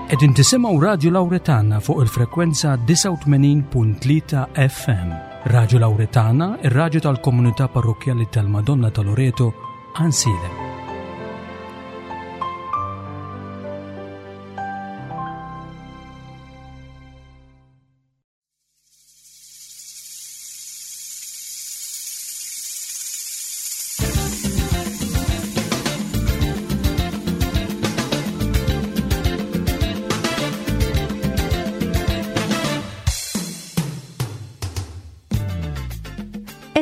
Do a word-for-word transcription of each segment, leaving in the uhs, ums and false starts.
Qegħdin tisimgħu Radju Lawretana fuq il-frekwenza disgħa u tmenin punt tlieta F M. Radju Lawretana, ir-radju tal-Komunità Parrokkjali tal-Madonna ta' Loreto, Għajnsielem.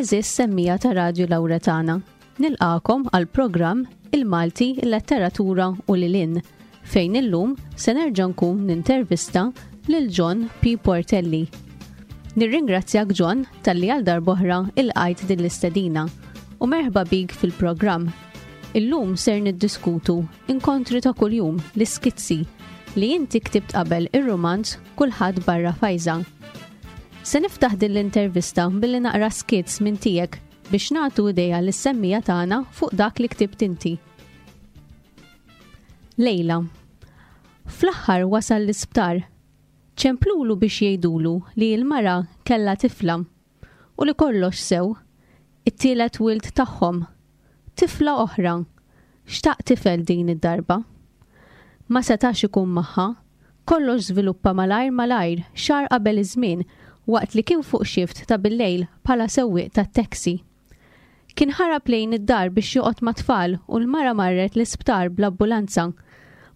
Għeżież semmiegħa ta' Radju Lawretana. Nilqagħkom għal programm Il-Malti, il-Letteratura u lil hinn, fejn illum se nerġa' nkun nintervista lil John P. Portelli. Nirringrazzjak, John, talli għal darb'oħra ilqajt din l-istedina u merħba bik fil-programm. Illum ser niddiskutu Inkontri ta' kuljum, l-iskizzi li inti ktibt qabel ir-romanz Kulħadd barra Fajża. Se niftaħ din l-intervista billi naqra skizz minn tiegħek biex nagħtu idea lis-semmiegħa tagħna fuq dak li ktibt inti. Lejla. Fl-aħħar wasal l-isptar. Ċemplulu biex jgħidulu li l-mara kella tifla u li kollox sew, it-tielet wild tagħhom. Tifla oħra. Xtaq tifel din id-darba. Ma setax ikun magħha. Kollox żviluppa malajr malajr, xahar qabel iż-żmien, waqt li kien fuq shift ta' bil-lejl bħala sewwieq tat-taxi. Kien ħarab lejn id-dar biex joqgħod mat-tfal u l-mara marret l-isptar bl-ambulanza.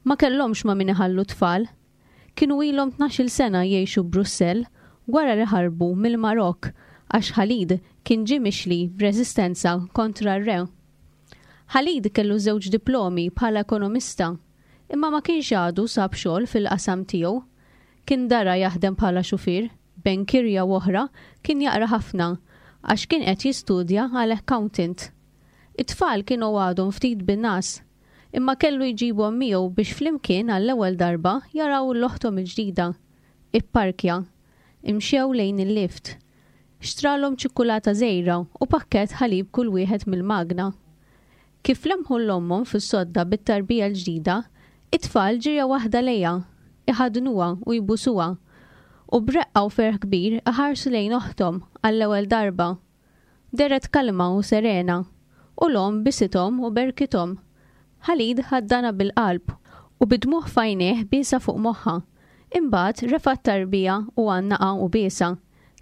Ma kellhomx ma' min iħallu tfal. Kienu ilhom tnax-il sena jgħixu Brussell wara li ħarbu mill-Marok għax Khalid kien ġie mixli b'reżistenza kontra r-re. Khalid kellu żewġ diplomi bħala ekonomista, imma ma kienx għadu sab xogħol fil-qasam tiegħu. Kien dara jaħdem bħala xufier, bejn kirja u oħra kien jaqra ħafna għax kien qed jistudja għal accountant. It-tfal kienu għadhom ftit bin-ngħas, imma kellu jġibhom miegħu biex flimkien għall-ewwel darba jaraw 'l oħthom il-ġdida. Ipparkja. Imxew lejn il-lift. Xtralhom ċikkulata żgħira u pakkett ħalib kull wieħed mill-magna. Kif lemħu 'l ommhom fis-sodda bit-tarbija l-ġdida, it-tfal ġirja waħda lejha, iħadnuha u jbusuha. U b'reqqa u ferħ kbir iħarsu lejn oħthom għall-ewwel darba. Dehret kalma u serena, u l-omm bisithom u berkithom. Khalid ħaddanha bil-qalb u bid-dmugħ f'għajnejh biesha fuq moħħha. Imbagħad refa' t-tarbija u għannaqha u biesha.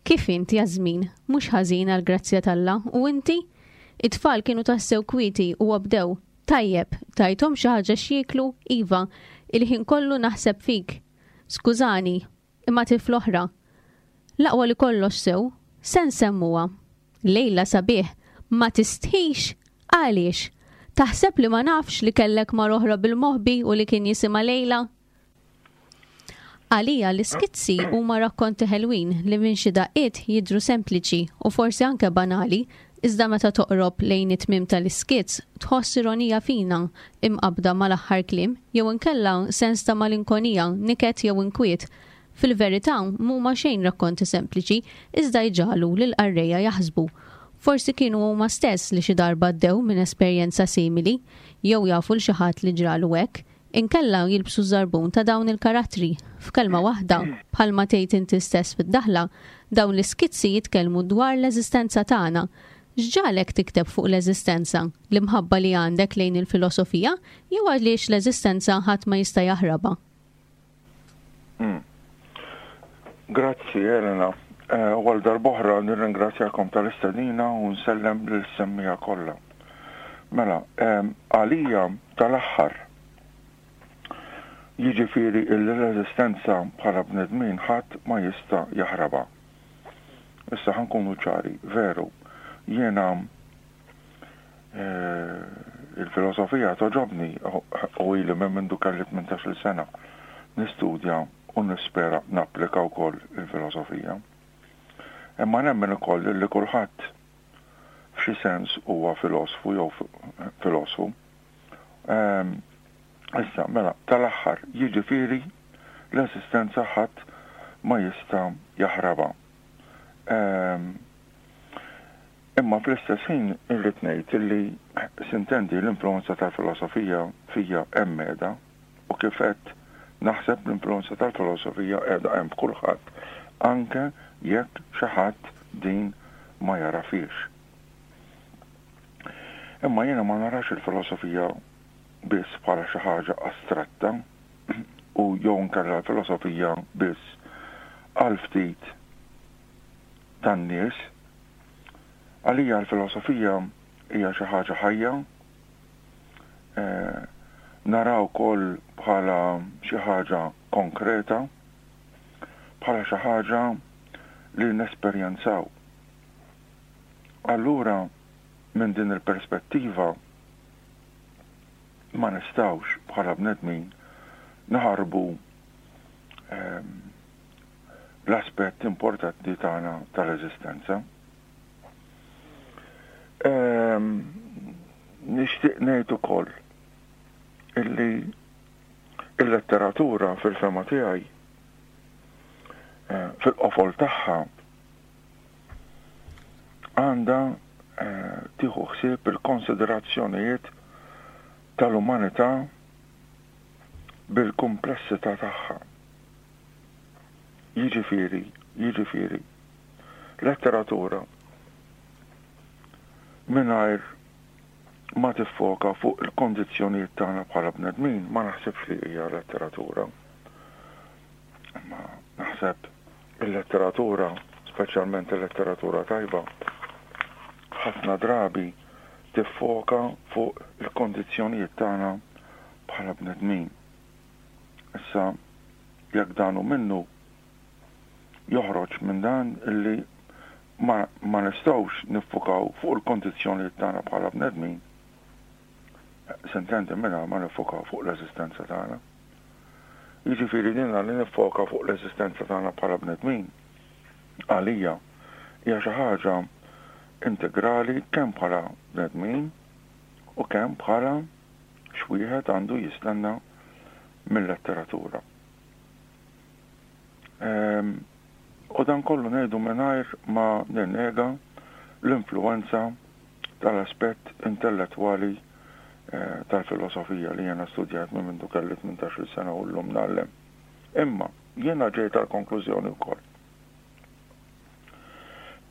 "Kif int, Jasmin?" "Mhux ħażin għall-grazzja t'Alla, u inti?" It-tfal kienu tassew kwieti u obdew. "Tajjeb, tajthom xi ħaġa x'jieklu?" "Iva, il-ħin kollu naħseb fik." "Skużani, imma tifla oħra." "L-aqwa li kollox sew, se nsemmuha. Lejla sabiħ, ma tistħix? Għaliex? Taħseb li ma nafx li kellek mara oħra bil-moħbi u li kien jisimha Lejla?" Għalija l-iskizzi huma rakkonti ħelwin li minn xi daqqiet jidhru sempliċi u forsi anke banali, iżda meta toqrob lejn it-tmim tal-iskizz tħoss ironija fina imqabda mal-aħħar kliem jew inkella sens ta' malinkonija, niket jew inkwiet. Fil-verità mhuma xejn rakkonti sempliċi, iżda jġagħlu lil qarrejja jaħsbu. Forsi kienu huma stess li xi darba għaddew minn esperjenza simili jew jafu 'l xi ħadd li ġralu hekk, inkella jilbsu żarbun ta' dawn il-karattri. F'kelma waħda, bħalma tgħid inti stess fid-daħla, dawn l-iskizzi jitkellmu dwar l-eżistenza tagħna. X'ġagħlek tikteb fuq l-eżistenza? L-imħabba li għandek lejn il-filosofija jew għaliex l-eżistenza ħadd ma jista' jaħrabha? Hmm. Grazzi, Elena. Eh, għal darb'oħra nirringrazzjakom tal-istedina u nsellem lis-semmiegħa kollha. Mela, għalija tal-aħħar, jiġifieri l-eżistenza bħala bnedmin ħadd ma jista' jaħrabha. Issa ħa nkunu ċari, veru, jiena eh, il-filosofija togħġobni u ili minn mindu kelli tmintax-il sena nistudja u nispera napplika wkoll il-filosofija. Imma nemmen ukoll li kulħadd f'xi sens huwa filosfu jew filosfu. Ehm, issa, mela, tal-aħħar, jiġifieri l-eżistenza ħadd ma jista' jaħrabha. Ehm, imma fl-istess ħin irrid ngħid li sintendi l-influenza tal-filosofija fija hemm u kif qed Naħseb l-influenza tal-filosofija qiegħda hemm f'kulħadd, anke jekk xi ħadd din ma jarafiex. Imma jiena ma narax il-filosofija biss bħala xi ħaġa astratta u jew nkella l-filosofija biss għal ftit tan-nies. Għalija l-filosofija hija xi ħaġa ħajja, eh, naraw ukoll bħala xi ħaġa konkreta, bħala xi ħaġa li nesperjenzaw. Allura, minn din il-perspettiva, ma nistawx bħala bnedmin naħarbu ehm, l-aspett importanti tagħna tal-eżistenza. Ehm, nixtieq ngħid ukoll illi il-letteratura fil-fehma tiegħi eh, fil-qofol tagħha għandha eh, tieħu ħsieb il-konsiderazzjonijiet tal-umanità bil-kumplessità tagħha. Jiġifieri, jiġifieri, letteratura mingħajr ma tiffoka fuq il-kondizzjonijiet tagħna bħala bnedmin ma naħsibx li hija letteratura. Ma naħseb il-letteratura, speċjalment il-letteratura tajba, ħafna drabi tiffoka fuq il-kondizzjonijiet tagħna bħala bnedmin. Issa, jekk dan hu minnu, joħroġ minn dan illi ma, ma nistgħux niffukaw fuq il-kondizzjonijiet tagħna bħala bnedmin. S'intendi mingħajr ma niffukaw fuq l-eżistenza tagħna. Jiġifieri din li niffoka fuq l-eżistenza tagħna bħala bnedmin għalija hija xi ħaġa integrali kemm bħala bnedmin u kemm bħala x'wieħed għandu jistenna mill-letteratura. Ehm, u dan kollu ngħidu mingħajr ma ninnega l-influenza tal-aspett intellettwali eh, tal-filosofija li jena studjat minn mindu kelli tmintax-il sena u llum ngħallem. Imma jiena ġejt għal konklużjoni wkoll.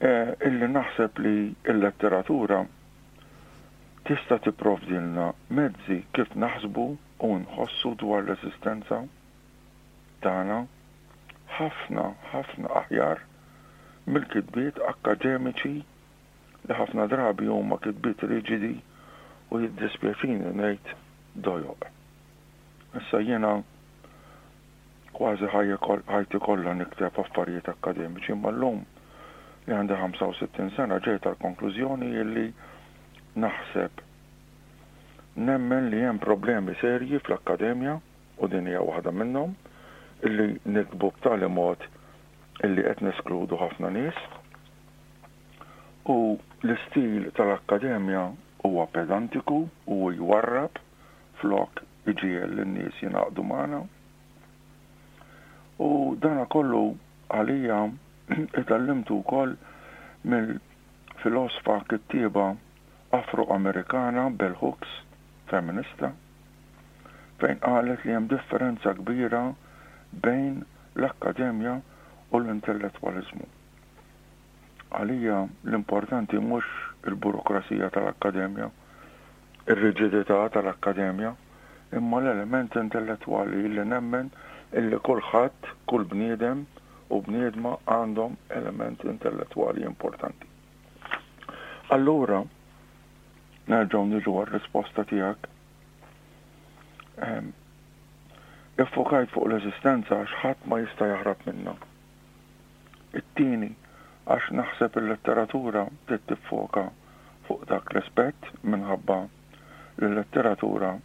Eh, illi naħseb li l-letteratura tista' tipprovdilna mezzi kif naħsbu u nħossu dwar l-eżistenza tagħna ħafna ħafna aħjar mill-kitbiet akademiċi li ħafna drabi huma kitbiet riġidi u jiddispjaċini ngħid dojoq. Issa jiena kważi ħajti kollha nikteb affarijiet akkademiċi, imma llum li għandi ħamsa u sittin sena ġejt għal konklużjoni illi naħseb nemmen li hemm problemi serji fl-akkademja u din hija waħda minnhom, illi niktbu b'tali mod illi qed neskludu ħafna nies u l-istil tal-akkademja huwa pedantiku u jwarrab flok iġiegħel lin-nies jingħaqdu magħna. U dana kollu għalija itgħallimtu wkoll mill-filosofa kittieba Afro-Amerikana Bell Hooks, feminista, fejn qalet li hemm differenza kbira bejn l-akkademja u l-intellettwalizmu. Għalija l-importanti mhux il-burokrasija tal-akkademja, ir-riġidità tal-akkademja, imma l-element intellettwali li nemmen illi kulħadd, kull bniedem u bniedma għandhom element intellettwali importanti. Allura, nerġgħu niġu għar-risposta tiegħek. Iffokajt fuq l-eżistenza għax ħadd ma jista' jaħrab minnha. It-tieni, għax naħseb il-letteratura trid tiffoka fuq dak l-aspett minħabba li l-letteratura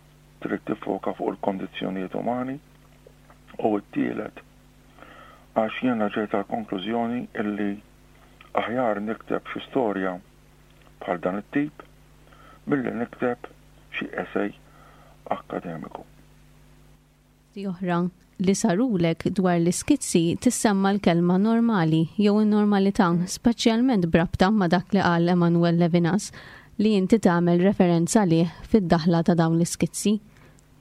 trid tiffoka fuq il-kondizzjonijiet umani, u t-tielet għax jiena ġejt għal konklużjoni illi aħjar nikteb xi storja bħal dan it-tip milli nikteb xi essay akkademiku. Oħra li sarulek dwar l-iskizzi tissemma l-kelma normali jew in-normalità, speċjalment b'rabta ma' dak li qal Emmanuel Levinas li inti tagħmel referenza lih fid-daħla ta' dawn l-iskizzi.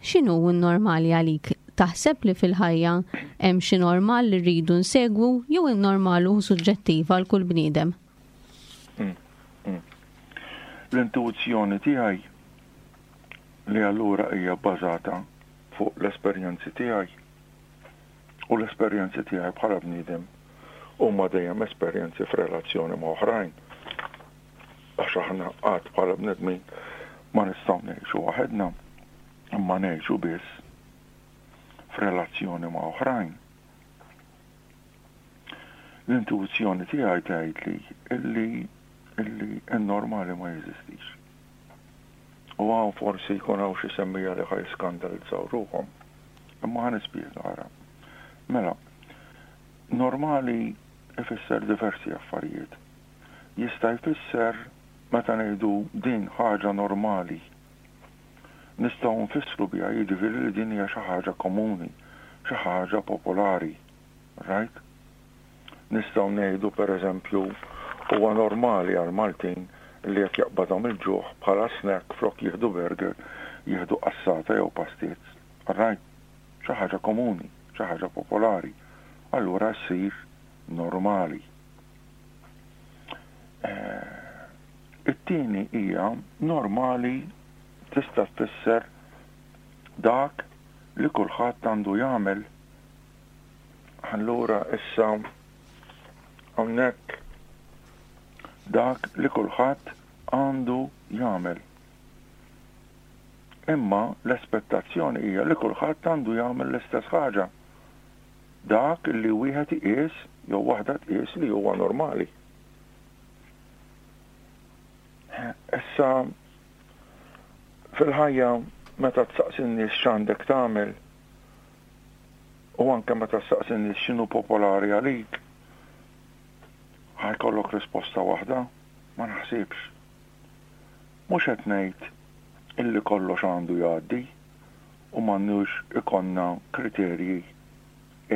X'inhu n-normali għalik? Taħseb li fil-ħajja hemm xi normal li rridu nsegwu jew in-normal hu suġġettiv għal kull bniedem? Mm, mm. L-intuizzjoni tiegħi li allura hija bbażata fuq l-esperjenzi tiegħi u l-esperjenzi tiegħi bħala bniedem huma dejjem esperjenzi f'relazzjoni ma' oħrajn. Għax aħna qatt bħala bnedmin ma nistgħu ngħixu waħedna, imma ngħixu biss f'relazzjoni ma' oħrajn. L-intuizzjoni tiegħi tgħidli illi illi n-normali ma jeżistix. U hawn forsi jkun hawn xi semmiegħa li ħa jiskandalizzaw ruħhom. Imma ħa nispjega ara. Mela, normali ifisser diversi affarijiet. Jista' jfisser meta ngħidu din ħaġa normali. Nistgħu nfissru biha jiġifieri li din hija xi ħaġa komuni, xi ħaġa popolari. Right? Nistgħu ngħidu pereżempju huwa normali għal Maltin li jekk jaqbadhom il-ġuħ bħala snack flok jieħdu burger, jieħdu qassata jew pastizz. Right? Xi ħaġa komuni, xi ħaġa popolari. Allura ssir normali. Eh, it-tieni hija normali tista' tfisser dak li kulħadd għandu jagħmel. Allura issa hawnhekk dak li kulħadd għandu jagħmel. Imma l-espettazzjoni hija li kulħadd għandu jagħmel l-istess ħaġa. Dak li wieħed iqis jew waħda tqis li huwa normali. Issa fil-ħajja meta tsaqsi n-nies x'għandek tagħmel u anke meta tsaqsi n-nies x'inhu popolari għalik, ħa jkollok risposta waħda? Ma naħsibx. Mhux qed ngħid illi kollox għandu jgħaddi u m'għandux ikollna kriterji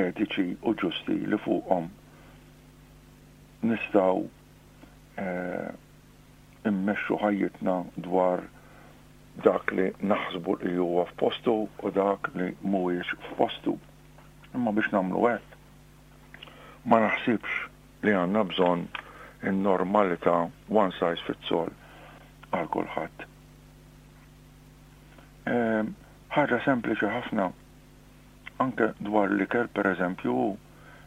etiċi u ġusti li fuqhom nistgħu eh, immexxu ħajjitna dwar dak li naħsbu li huwa f'postu u dak li mhuwiex f'postu. Imma biex nagħmlu hekk, ma naħsibx li għandna bżonn in-normalità one size fits all għal kulħadd. Ehm, ħaġa sempliċi ħafna, anke dwar l-ikel per eżempju,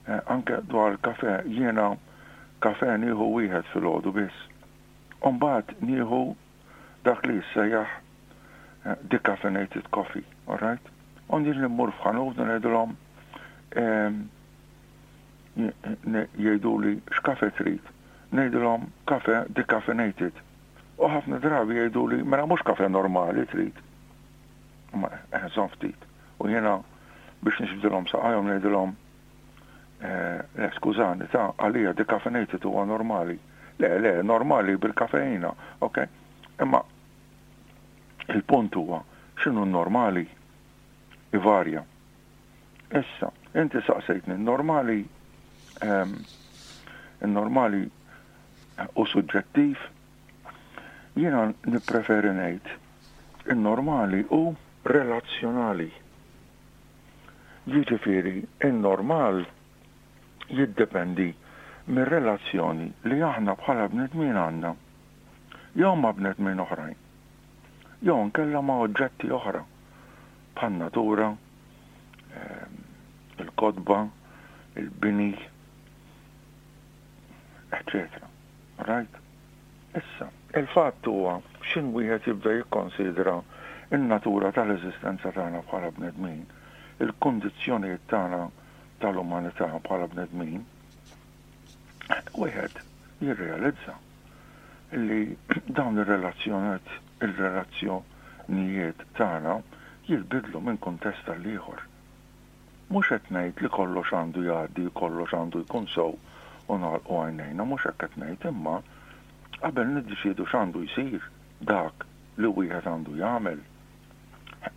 eh, anke dwar il-kafe, jiena kafe nieħu wieħed filgħodu biss. Umbagħad nieħu dak li jissejjaħ eh, decaffeinated coffee, all right? U niġi mmur f'ħanut u ngħidilhom ehm, jgħidu li x'kafe trid. Ngħidilhom kafe decaffeinated. U ħafna drabi jgħidu li mela mhux kafe normali trid. Ma eh, ftit. U jiena biex nixbdilhom saqajhom ngħidilhom eh, le skużani ta' għalija decaffeinated huwa normali. Le, le, normali bil-kafeina, ok? Imma il-punt huwa x'inhu normali ivarja. Issa, inti saqsejtni normali ehm, normali u suġġettiv, jiena nippreferi ngħid in-normali u relazzjonali. Jiġifieri in-normal jiddependi mir-relazzjoni li aħna bħala bnedmin għandna jew ma' bnedmin oħrajn, jew nkella ma' oġġetti oħra bħal natura, ehm, il-kotba, il-bini, eccetera. Right? Issa, il-fatt huwa x'ħin wieħed jibda jikkonsidra in-natura tal-eżistenza tagħna bħala bnedmin, il-kundizzjonijiet tagħna tal-umanità bħala bnedmin, wieħed jirrealizza li dawn ir-relazzjonijiet il-relazzjonijiet tagħna jinbidlu minn kuntest għal ieħor. Mhux qed ngħid li kollox għandu jgħaddi, kollox għandu jkun sew u nagħlqu għajnejna, mhux hekk qed ngħid, imma qabel niddeċiedu x'għandu jsir dak li wieħed għandu jagħmel,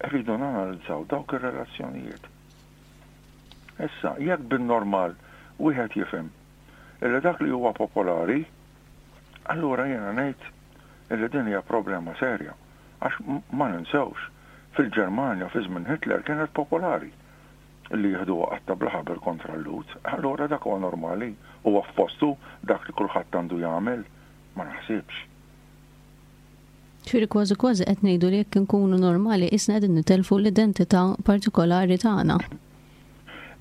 rridu nanalizzaw dawk ir-relazzjonijiet. Issa, jekk bin-normal wieħed jifhem illi dak li huwa popolari, allura jiena ngħid illi din hija problema serja. Għax ma ninsewx, fil-Ġermanja fi żmien Hitler kienet popolari. Li jieħdu qatta bla ħabel kontra l-Lhud. Allura dak huwa normali, huwa f'postu dak li kulħadd għandu jagħmel, ma naħsibx. Ġifieri kważi kważi qed ngħidu li jekk inkunu normali isna qegħdin nitelfu l-identità partikolari tagħna.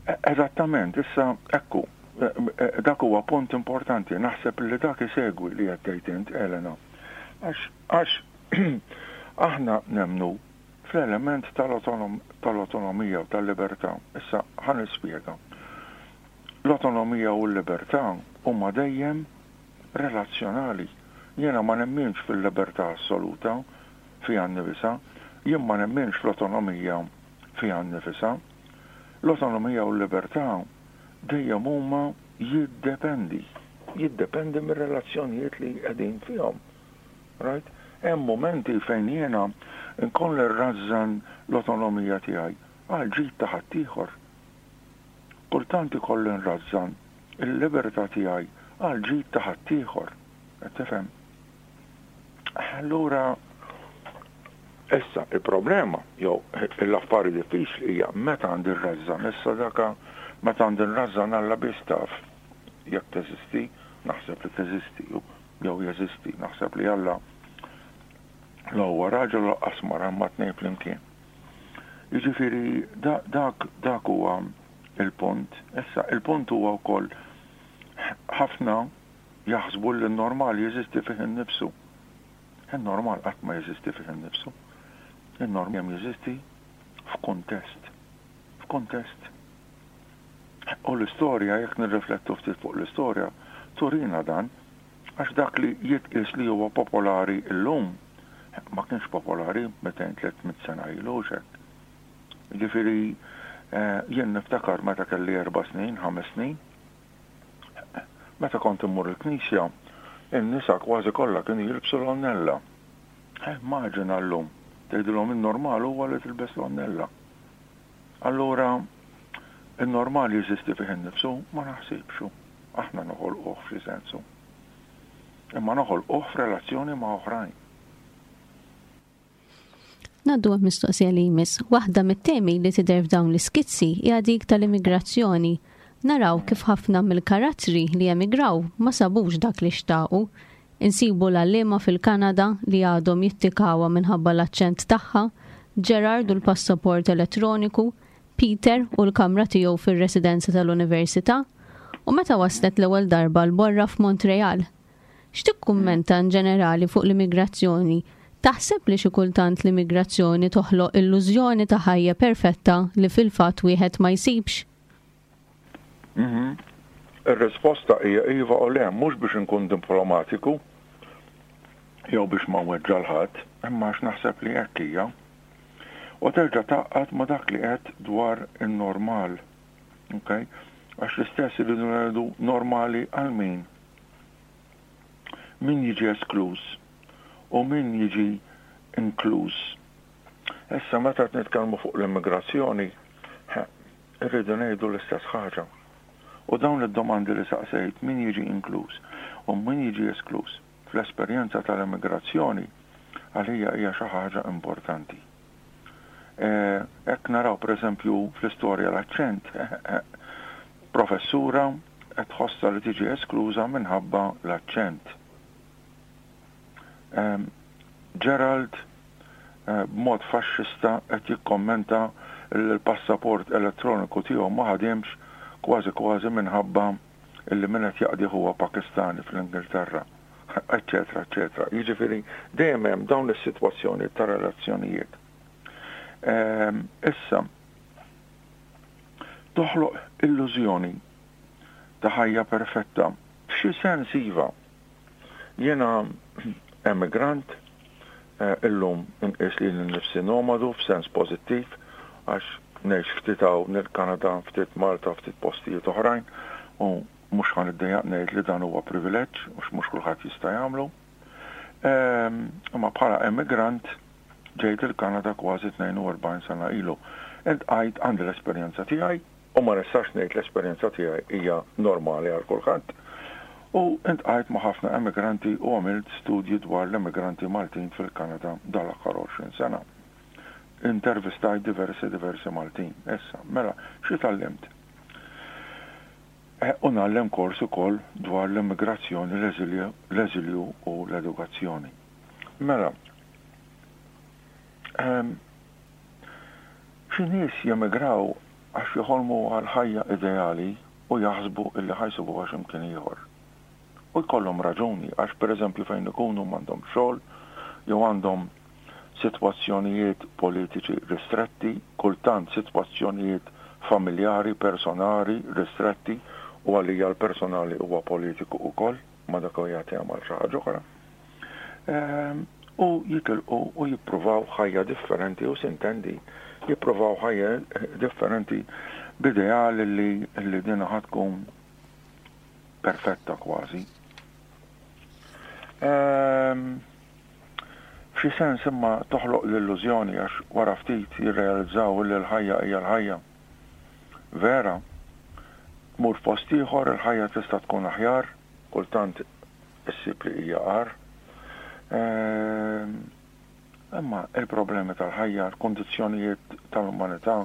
E, eżattament, issa ekku, e, e, dak huwa punt importanti, naħseb li dak isegwi li qed tgħid int, Elena. Għax għax aħna nemnu fl-element tal-autonomija u tal-libertà. Issa ħa nispjega. L-autonomija u l-libertà huma dejjem relazzjonali. Jiena ma nemminx fil-libertà assoluta fiha nnifisha, jien ma nemminx fl-autonomija fiha nnifisha. L-autonomija u l-libertà dejjem huma jiddependi, jiddependi mir-relazzjonijiet li qegħdin fihom. Right? Hemm momenti fejn jiena nkun nrażżan l-autonomija tiegħi għal ġid ta' ħaddieħor. Kultant ikolli nrażżan il-libertà tiegħi għal ġid ta' ħaddieħor. Qed tifhem? Allura issa il-problema jew l-affari diffiċli hija meta għandi nrażżan. Issa daka meta għandi nrażżan Alla biss taf jekk teżisti, naħseb li teżisti jew jeżisti, naħseb li Alla la huwa raġel lanqas mara ma tnejn flimkien. Jiġifieri dak dak huwa il-punt. Issa il-punt huwa wkoll ħafna jaħsbu li n-normal jeżisti fih innifsu. Il-normal qatt ma jeżisti fih innifsu. Il-normal jeżisti f'kuntest. F'kuntest. U l-istorja, jekk nirriflettu ftit fuq l-istorja, turina dan, għax dak li jitqis li huwa popolari illum ma kienx popolari mitejn tliet mitt sena ilu xek. Ġifieri eh, jien niftakar meta kelli erba' snin, ħames snin, meta kont immur il-knisja, in-nisa kważi kollha kienu jilbsu l-għonnella. Eh, immaġina llum, tgħidilhom in-normal huwa li tilbes l-għonnella. Allura, il-normal jeżisti fih innifsu? Ma naħsibx. Aħna noħolquh f'xi sensu. Imma noħolquh f'relazzjoni ma' oħrajn. Ngħaddu għal mistoqsija li jmiss. Waħda mit-temi li tidher f'dawn l-iskizzi hija dik tal-immigrazzjoni. Naraw kif ħafna mill-karattri li emigraw ma sabux dak li xtaqu. Insibu l-għalliema fil-Kanada li għadhom jittikawa minħabba l-aċċent tagħha, Gerard u l-passaport elettroniku, Peter u l-kamra tiegħu fir-residenza tal-Università, u meta waslet l-ewwel darba l-borra f'Montreal. X'tikkummenta in ġenerali fuq l-immigrazzjoni? Taħseb li xi kultant l-immigrazzjoni toħloq illużjoni ta' ħajja perfetta li fil-fatt wieħed ma jsibx? Mhm. Ir-risposta hija iva u le, mhux biex inkun diplomatiku jew biex ma nweġġa' ħadd, imma għax naħseb li hekk hija. U terġa' tgħaqqad ma' dak li qed dwar in-normal. Okay? Għax l-istess irridu ngħidu normali għal min? Min jiġi eskluż u min jiġi inkluż. Issa meta qed nitkellmu fuq l-immigrazzjoni, irridu ngħidu l-istess ħaġa. U dawn id-domandi li saqsejt, min jiġi inkluż u min jiġi eskluż fl-esperjenza tal-immigrazzjoni, għalija hija xi ħaġa importanti. Hekk naraw pereżempju fl-istorja l-aċċent, professura qed tħossha li tiġi eskluża minħabba l-aċċent. Gerald b'mod faxxista qed jikkommenta l-passaport elettroniku tiegħu ma ħadimx kważi kważi minħabba illi min qed jaqdi huwa Pakistani fl-Ingilterra, eccetera, eccetera. Jiġifieri dejjem hemm dawn is-sitwazzjoni ta' relazzjonijiet. Issa, toħloq illużjoni ta' ħajja perfetta. F'xi sens iva. Jiena emigrant, eh, illum inqis lili nnifsi nomadu f'sens pożittiv għax ngħix ftit hawn il-Kanada, ftit Malta, ftit postijiet oħrajn u mhux ħa niddejjaq ngħid li dan huwa privileġġ u mhux kulħadd jista' jagħmlu. Ehm, imma bħala emigrant ġejt il-Kanada kważi tnejn u erbgħin sena ilu. Iltqajt, għandi l-esperjenza tiegħi u ma nistax ngħid l-esperjenza tiegħi hija normali għal kulħadd. U iltqajt ma' ħafna emigranti u għamilt studji dwar l-emigranti Maltin fil-Kanada dal-aħħar għoxrin sena. intervistajt diversi diversi Maltin. Issa, mela, xi tgħallimt? U ngħallem kors ukoll dwar l-immigrazzjoni, l-eżilju u l-edukazzjoni. Mela, xi nies jemigraw għax joħolmu għal ħajja ideali u jaħsbu illi ħa jsibuha x'imkien ieħor. U jkollhom raġuni, għax pereżempju fejn ikunu m'għandhom xogħol jew għandhom sitwazzjonijiet politiċi ristretti, kultant sitwazzjonijiet familjari, personali ristretti, u għalija l-personali huwa politiku wkoll, ma dak huwa jagħti għal xi ħaġa oħra. U jitilqu u jippruvaw ħajja differenti, u sintendi jippruvaw ħajja differenti b'ideal li, li din ħa tkun perfetta kważi. F'xi sens imma toħloq l-illużjoni, għax wara ftit jirrealizzaw li l-ħajja hija l-ħajja. Vera, tmur post ieħor, il-ħajja tista' tkun aħjar, kultant issib li hija agħar. Imma il-problemi tal-ħajja, l-kondizzjonijiet tal-umanità,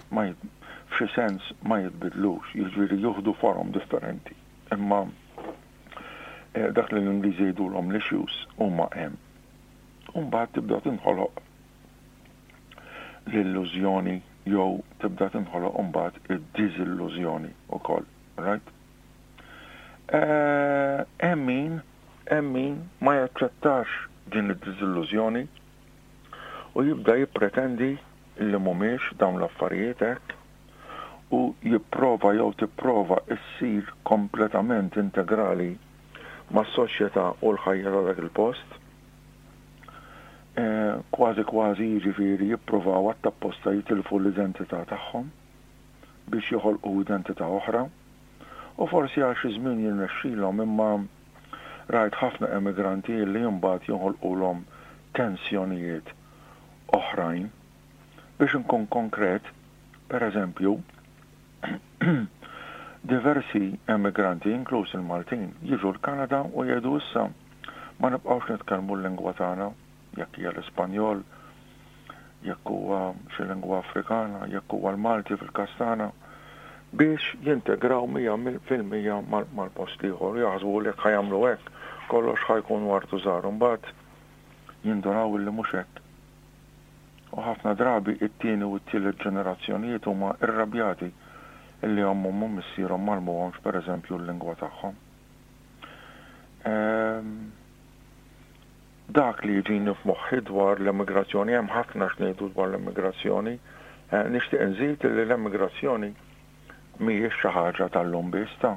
ma f'xi sens ma jitbidlux, jiġifieri jieħdu forom differenti. Imma dak li l-Ingliżi jgħidulhom l-issues huma hemm. U mbagħad tibda tinħoloq l-illużjoni jew tibda tinħoloq mbagħad id-diżillużjoni wkoll, right? Hemm min, hemm min ma jaċċettax din id-diżillużjoni u jibda jippretendi li mhumiex dawn l-affarijiet hekk, u jipprova jew tipprova issir kompletament integrali mas-soċjetà u l-ħajja ta' dak il-post. Kważi kważi jiġifieri jippruvaw għat-tapposta jitilfu l-identità tagħhom biex joħolqu identità oħra, u forsi għal xi żmien jirnexxilhom, imma rajt ħafna emigranti li mbagħad joħolqulhom tensjonijiet oħrajn. Biex inkun konkret, per eżempju, diversi emigranti, inkluż il-Maltin, jiġu l-Kanada u jgħidu issa ma nibqgħux nitkellmu l-lingwa tagħna, jekk hija l-Ispanjol, jekk huwa xi lingwa Afrikana, jekk huwa l-Malti fil-każ tagħna, biex jintegraw mija fil-mija mal-post ieħor, jaħsbu li jekk ħa jagħmlu hekk kollox ħa jkun wartu żgħar, mbagħad jindunaw li mhux hekk. U ħafna drabi it-tieni u t-tielet ġenerazzjonijiet huma irrabjati illi ommhom u missierhom m'għallmuhomx pereżempju l-lingwa tagħhom. Dak li jiġini f'moħħi dwar l-immigrazzjoni, hemm ħafna x'ngħidu dwar l-immigrazzjoni, nixtieq inżid li l-immigrazzjoni mhijiex xi ħaġa tal-lum biss, ta'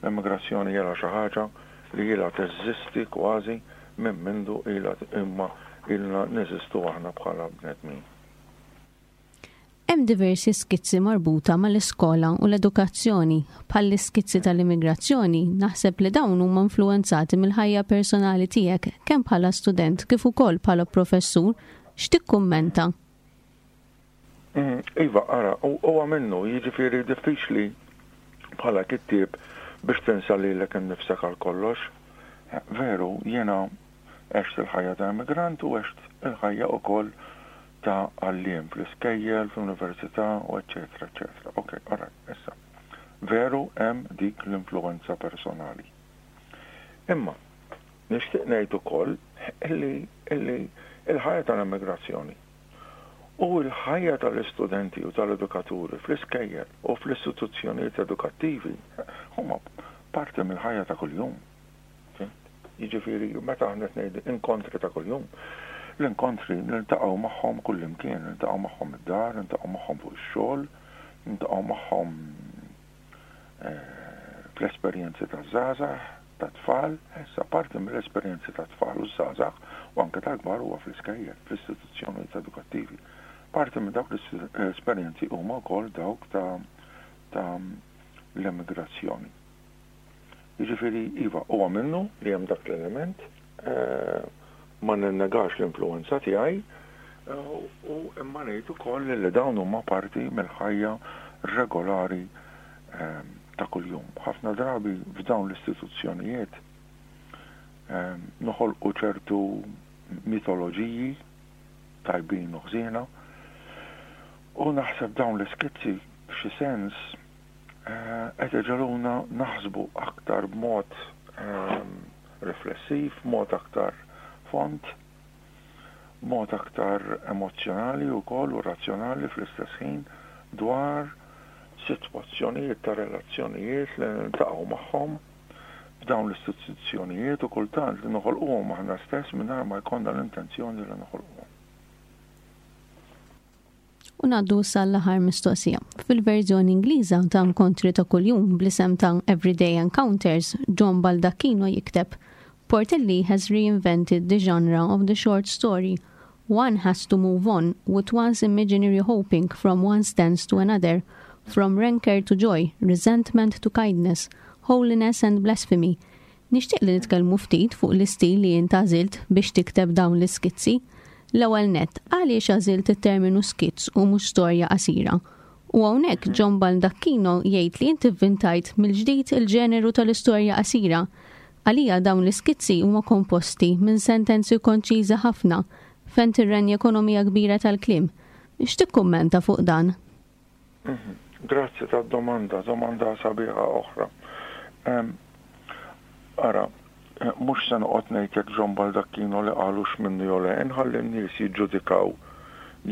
l-immigrazzjoni ilha xi ħaġa li ilha teżisti kważi minn mindu ilha imma ilna neżistu aħna bħala bnedmin. Hemm diversi skizzi marbuta mal-iskola u l-edukazzjoni, bħall-iskizzi tal-immigrazzjoni, naħseb li dawn huma influenzati mill-ħajja personali tiegħek kemm bħala student kif ukoll bħala professur. X'tikkummenta? Iva, ara, huwa minnu, jiġifieri diffiċli bħala kittieb biex tinsa lilek innifsek għal kollox. Veru, jiena għext il-ħajja ta' immigrant u għext il-ħajja ukoll ta' għalliem fl-iskejjel, fl-università, u eccetera, eccetera. Ok, all right, issa. Veru hemm dik l-influenza personali. Imma nixtieq ngħid ukoll illi, illi il-ħajja tal-immigrazzjoni u l-ħajja tal-istudenti u tal-edukaturi fl-iskejjel u fl-istituzzjonijiet edukattivi huma parti mill-ħajja ta' kuljum. Jiġifieri meta aħna qed ngħidu inkontri ta' kuljum, l-inkontri niltaqgħu magħhom kullimkien, niltaqgħu magħhom id-dar, niltaqgħu magħhom fuq ix-xogħol, niltaqgħu magħhom fl-esperjenzi taż-żgħażagħ, tat-tfal, issa parti mill-esperjenzi tat-tfal u ż-żgħażagħ u anke tal-kbar huwa fl-iskejjel, fl-istituzzjonijiet edukattivi. Parti minn dawk l-esperjenzi huma wkoll dawk ta', ta' l-immigrazzjoni. Jiġifieri iva, huwa minnu li hemm dak l-element, ma ninnegax l-influenza tiegħi, u imma ngħid ukoll li dawn huma parti mill-ħajja regolari ta' kuljum. Ħafna drabi f'dawn l-istituzzjonijiet noħolqu ċertu mitoloġiji tajbin u ħżiena. U naħseb dawn l-iskizzi f'xi sens eh, qed iġegħluna naħsbu aktar b'mod ehm, riflessiv, mod aktar fond, mod aktar emozzjonali wkoll u razzjonali fl-istess ħin dwar sitwazzjonijiet ta' relazzjonijiet li niltaqgħu magħhom f'dawn l-istituzzjonijiet u kultant li noħolquhom aħna stess mingħajr ma jkollna l-intenzjoni li noħolquhom. U ngħaddu sal-aħħar mistoqsija. Fil-verżjoni Ingliża ta' Inkontri ta' Kuljum bl-isem ta' Everyday Encounters, John Baldacchino jikteb: "Portelli has reinvented the genre of the short story. One has to move on with one's imaginary hoping from one stance to another, from rancor to joy, resentment to kindness, holiness and blasphemy." Nixtieq li nitkellmu ftit fuq l-istil li int għażilt biex tikteb dawn l-iskizzi. L-ewwel net, għaliex għażilt it-terminu skizz u mhux storja qasira? U hawnhekk John Baldacchino jgħid li inti vvintajt mill-ġdid il-ġeneru tal-istorja qasira. Għalija dawn l-iskizzi huma komposti minn sentenzi konċiżi ħafna fejn tirrenja ekonomija kbira tal-kliem. X'tikkummenta fuq dan? Mhm. Grazzi tad-domanda, domanda sabiħa oħra. Ara, mhux se noqgħod ngħid jekk John Baldacchino li qalux minnu jew le, inħalli n-nies jiġġudikaw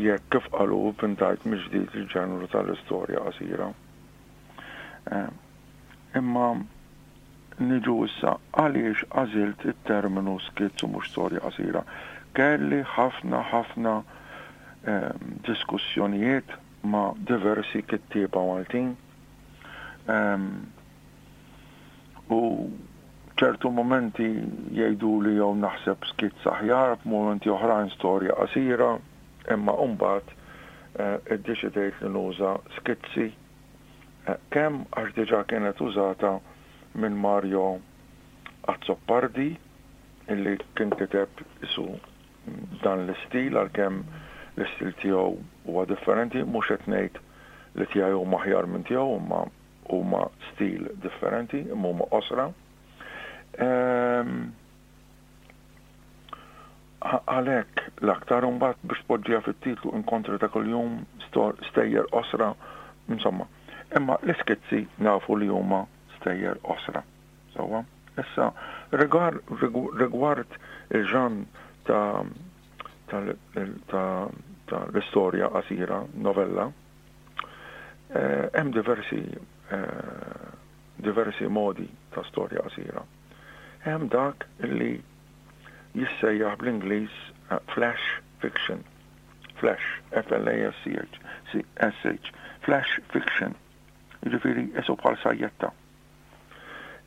jekk, kif qalu, vvintajt mill-ġdid il-ġeneru tal-istorja qasira. Imma niġu issa għaliex għażilt it-terminu skizz u mhux storja qasira. Kelli ħafna ħafna diskussjonijiet ma' diversi kittieba Maltin. U ċertu momenti jgħidu li jew naħseb skizz aħjar, f'momenti oħrajn storja qasira, imma mbagħad eh, iddeċidejt li nuża skizzi eh, kemm għax diġà kienet użata minn Mario Azzopardi, illi kien kiteb isu dan l-istil, għalkemm l-istil tiegħu huwa differenti. Mhux qed ngħid li tiegħi huma aħjar minn tiegħu, imma huma stil differenti, imma huma qosra. Ehm, għalhekk l-aktar mbagħad biex tpoġġiha fit-titlu, Inkontri ta' Kuljum, stejjer qosra, insomma. Imma l-iskizzi nafu li huma stejjer qosra. Sewwa. Issa rigward il-ġanr ta' ta' l-istorja qasira, novella, eh, hemm diversi eh, diversi modi ta' storja qasira. Hemm dak li jissejjaħ bl-Ingliż eh, flash fiction. Flash, F L A S C H, S H, flash fiction. Jiġifieri isu bħal sajjetta.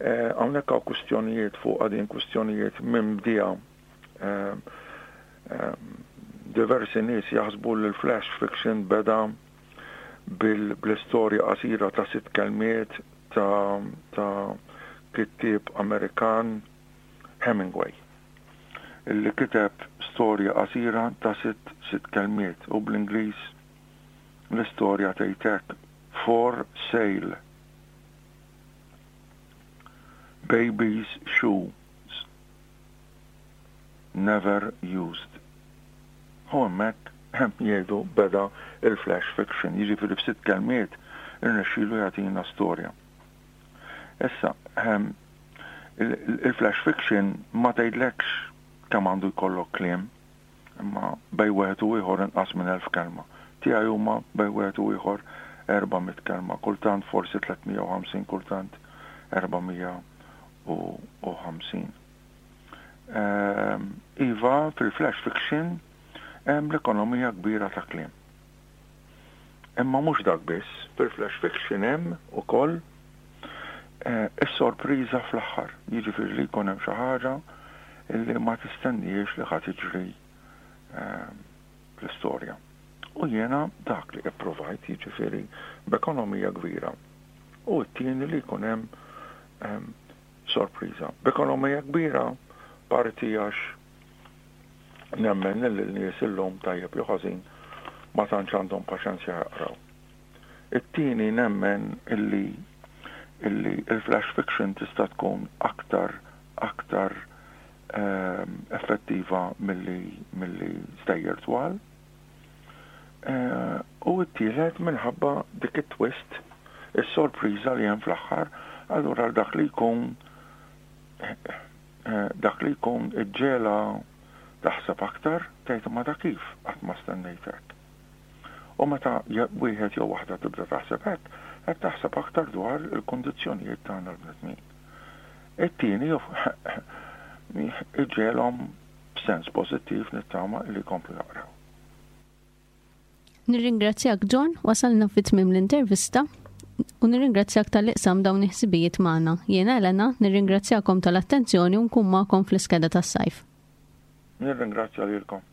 Eh, hawnhekk hawn kwistjonijiet fuq għadin, kwistjonijiet minn bdija. Eh, diversi nies jaħsbu li l-flash fiction beda bil-istorja qasira ta' sitt kelmiet ta', ta kittieb Amerikan, Hemingway, illi kiteb storja qasira ta' sitt sitt kelmiet u bl-Ingliż l-istorja tgħidlek: "For sale. Baby's shoes. Never used." U hemmhekk hemm jgħidu beda il-flash fiction, jiġifieri f'sitt kelmiet irnexxielu jagħtina storja. Issa, il-flash fiction ma tgħidlekx kemm għandu jkollok kliem, imma bejn wieħed u ieħor inqas minn elf kelma. Tiegħi huma bejn wieħed u ieħor erba' mitt kelma, kultant forsi tliet mija u ħamsin, kultant erba' mija u ħamsin. Iva, fil-flash fiction hemm l-ekonomija kbira ta' kliem. Imma mhux dak biss, fil-flash fiction hemm ukoll eh, is-sorpriża fl-aħħar. Jiġifieri li jkun hemm xi ħaġa illi ma tistennijiex li ħa tiġri ehm, fl-istorja. U jiena dak li ipprovajt, jiġifieri b'ekonomija kbira. U t-tieni li jkun hemm ehm, sorpriża. B'ekonomija kbira parti għax nemmen li l-nies illum, tajjeb jew ħażin, ma tantx għandhom paċenzja jaqraw. It-tieni, nemmen illi illi il-flash fiction tista' tkun aktar aktar ehm, effettiva milli milli stejjer twal. Eh, u t-tielet minħabba dik it-twist, is-sorpriża li hemm fl-aħħar, allura dak li jkun eh, dak li jkun iġġegħla taħseb aktar, tgħid ma da kif qatt ma stennejt hekk. U meta wieħed jew waħda tibda taħseb hekk, qed taħseb aktar dwar il-kundizzjonijiet tagħna l-bnedmin. It-tieni iġegħelhom b'sens pożittiv nittama li jkomplu jaqraw. Nirringrazzjak John, wasalna fi tmiem l-intervista u nirringrazzjak talli qsamt dawn il-ħsibijiet magħna. Jiena Elena, nirringrazzjakom tal-attenzjoni u nkun magħkom fl-iskeda tas-sajf. Nirringrazzja lilkom.